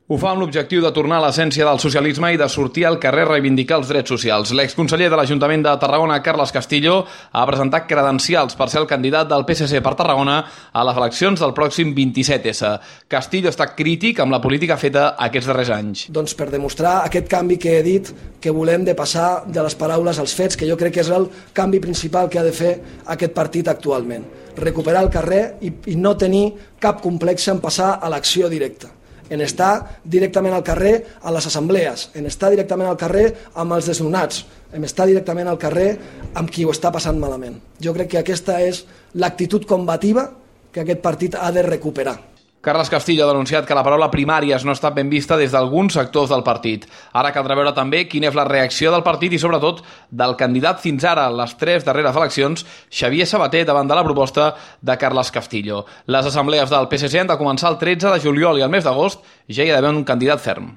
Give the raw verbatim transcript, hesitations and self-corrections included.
Ho fa amb l'objectiu de tornar a l'essència del socialisme i de sortir al carrer a reivindicar els drets socials. L'exconseller de l'Ajuntament de Tarragona, Carles Castillo, ha presentat credencials per ser el candidat del P S C per Tarragona a les eleccions del pròxim vint-i-set essa. Castillo està crític amb la política feta aquests darrers anys. Doncs per demostrar aquest canvi que he dit, que volem de passar de les paraules als fets, que jo crec que és el canvi principal que ha de fer aquest partit actualment. Recuperar el carrer i, i no tenir cap complex en passar a l'acció directa. En estar directament al carrer a les assemblees, en estar directament al carrer amb els desnonats, en estar directament al carrer amb qui ho està passant malament. Jo crec que aquesta és l'actitud combativa que aquest partit ha de recuperar. Carles Castillo ha denunciat que la paraula primàries no ha estat ben vista des d'alguns sectors del partit. Ara caldrà veure també quina és la reacció del partit i, sobretot, del candidat fins ara a les tres darreres eleccions, Xavier Sabater, davant de la proposta de Carles Castillo. Les assemblees del P S C han de començar el tretze de juliol i al mes d'agost ja hi ha d'haver un candidat ferm.